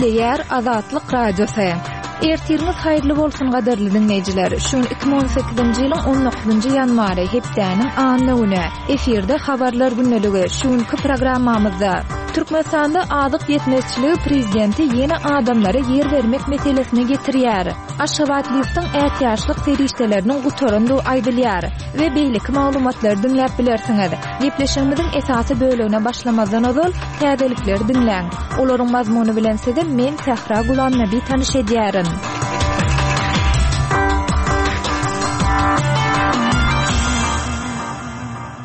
Gepleýär Azatlyk Radiosy. Ertiriňiz haýyrly bolsun gadyrly diňleýjiler. Şu gün 2018-nji ýylyň 19-njy ýanwary, hepdäniň anna güni. Efirde habarlar gündeligi. Şu günki programmamyzda Türkmenistanda azyk ýetmezçiligi prezidenti ýene adamlara ýer bermek meselesine getirýär. Aşgabat liftiň ätiýaçlyk serişdeleriniň gutarandygy aýdylýar we beýleki maglumatlary diňläp bilersiňiz. Gepleşigimiziň esasy bölegine başlamazdan ozal, täzelikleri diňläň. Olaryň mazmuny bilen sizi men Sähra Gulamnabi tanyş edýärin.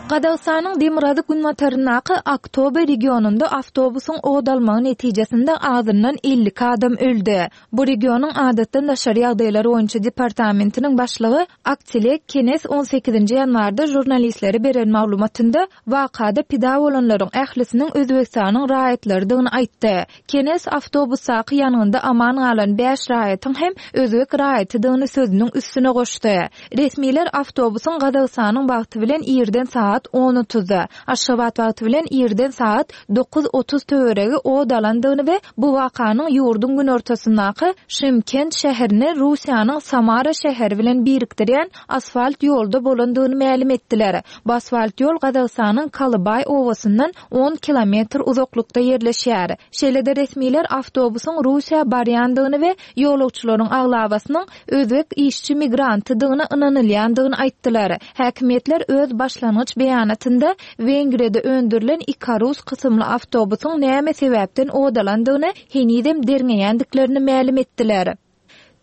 Gazagystanyň demirgazyk-günbataryndaky Aktobe regionynda awtobusyň ot almagy netijesinde azyndan 52 adam öldi. Bu regionyň Adatdan daşary ýagdaýlar boýunça departamentiniň başlygy Aktilek Kenes on sekizinji ýanwarda žurnalistlere beren maglumatynda wakada pida bolanlaryň ählisiniň Özbegistanyň raýatlarydygyny aýtdy. Kenes awtobusdaky ýangynda aman galan bäş raýatyň hem özbek raýatydygyny sözüniň üstüne goşdy. Resmiler awtobusyň Gazagystanyň wagty bilen irden sagat on otuzda, Aşgabat wagty bilen irden sagat 9:30 töweregi ot alandygyny we bu wakanyň ýurduň günortasyndaky Şymkent şäherini Russiýanyň Samara şäheri bilen birikdirýän asfalt ýolda bolandygyny mälim etdiler. Bu asfalt ýol Gazagystanyň Kalybaý obasyndan on kilometr uzaklykda ýerleşýär. Şeýle-de resmiler awtobusyň Russiýa barýandygyny we ýolagçylaryň aglabasynyň özbek işçi migrantydygyna ynanylýandygyny aýtdylar. Häkimiýetler öz başlangyç beýanatynda Wengriýada öndürilen Ikarus kysymly awtobusyň näme sebäpden ot alandygyny henizem derňeýändiklerini mälim etdiler.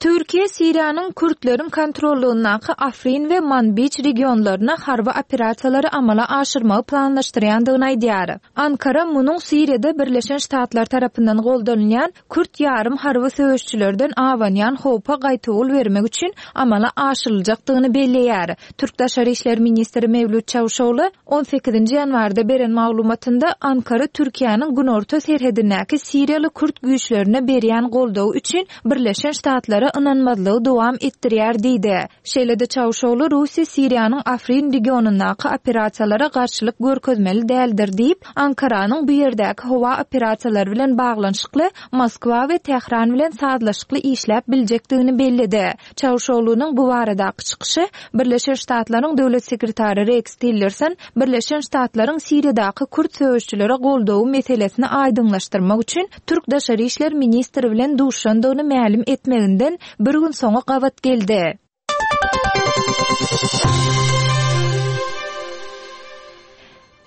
Türkiýe Siriýanyň kürtleriň kontrollygyndaky Afrin we Manbij regionlaryna harby operasiýalary amala aşyrmagy planlaşdyrýandygyny aýdýar. Ankara munuň Siriýada Birleşen Ştatlar tarapyndan goldanylýan kürt ýarym harby söweşçilerden abanýan howpa gaýtawul bermek üçin amala aşyryljakdygyny belleýär. Türk Daşary işler ministri Mewlüt Çawuşogly on sekizinji ýanwarda beren maglumatynda Ankara Türkiýäniň günorta serhedindäki siriýaly kürt güýçlerine berýän goldawy üçin Birleşen Ştatlara ynanmazlygy dowam etdirýär diýdi. Şeýle-de Çawuşogly Russiýa Siriýanyň Afrin regionyndaky operasiýalara garşylyk görkezmeli däldir diýip, Ankaranyň bu ýerdäki howa operasiýalary bilen baglanyşykly Moskwa we Tähran bilen sazlaşykly işläp biljekdigini belledi. Çawuşoglunyň bu baradaky çykyşy Birleşen Ştatlaryň Döwlet sekretary Reks Tillerson Birleşen Ştatlaryň Siriýadaky kürt söweşçilere goldawy meselesini aýdyňlaşdyrmak üçin türk daşary işler ministri bilen duşandygyny mälim etmeginden bir gün soňa gabat geldi.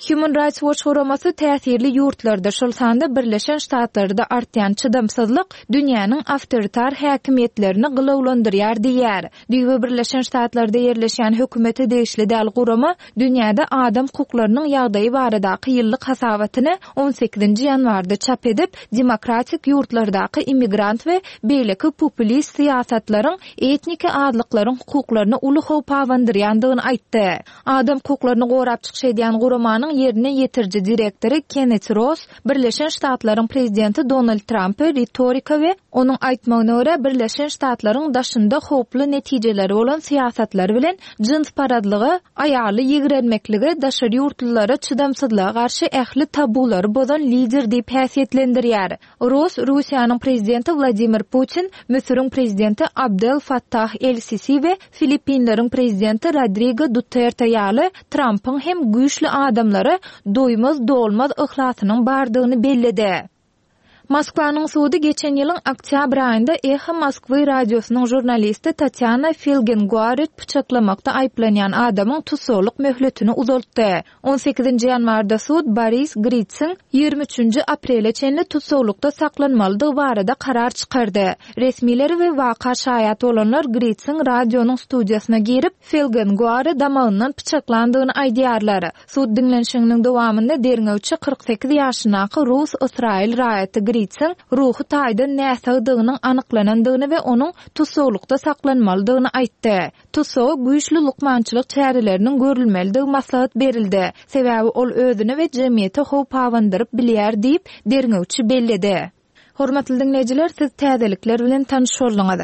Human Rights Watch guramasy täsirli ýurtlarda, şol sanda Birleşen Ştatlarda artýan çydamsyzlyk dünýäniň awtoritar häkimiýetlerini gylawlandyrýar diýýär. Düýbi Birleşen Ştatlarda ýerleşýän hökümete degişli däl gurama dünýäde adam hukuklarynyň ýagdaýy baradaky ýyllyk hasabatyny on sekizinji ýanwarda çap edip, demokratik ýurtlardaky immigrant we beýleki populist syýasatlaryň etniki azlyklaryň hukuklaryna uly howp abandyrýandygyny aýtdy. Adam hukuklaryny gorap çykyş edýän guramanyň ýerine ýetiriji direktory Kennet Ross Birleşen Ştatlaryň prezidenti Donald Trampy ritorika we onuň aýtmagyna görä Birleşen Ştatlaryň daşynda howply netijeleri bolan syýasatlary bilen jynsparazlyga, aýaly ýigrenmeklige, daşary ýurtlulara çydamsyzlyga garşy ähli tabulary bozan lider diýip häsiýetlendirýär. Ross Russiýanyň prezidenti Wladimir Putin, Müsüriň prezidenti Abdel Fattah el-Sisi we Filippinleriň prezidenti Rodrigo Duterte ýaly Trampyň hem güýçli adamlara doýmaz-dolmaz yhlasynyň bardygyny belledi. Moskwanyň sudy geçen ýylyň oktýabr aýynda Eho Moskwy radiosynyň žurnalisti Tatýana Filgenguaret pyçaklamakda aýyplanýan adamyň tussaglyk möhletini uzaltdy. On sekizinji ýanwarda sud Boris Gritsiň ýigrimi üçünji aprele çenli tussaglykda saklanmalydygy barada karar çykardy. Resmiler we waka şaýat bolanlar Gritsiň radionyň studiýasyna girip, Felgenguary damagyndan pyçaklandygyny aýdýarlar. Sud diňlenişiginiň dowamynda derňewçi 48 ýaşyndaky rus-ysraýyl raýaty Gritsiň ruhy taýdan näsagdygynyň anyklanandygyny we onuň tussaglykda saklanmalydygyny aýtdy. Tussaga güýçli lukmançylyk çäreleriniň görülmelidigi maslahat berildi, sebäbi ol özüne we jemgyýete howp abandyryp bilýär diýip, derňewçi belledi. Hormatly diňleýjiler, siz täzelikler bilen tanyş bolduňyz.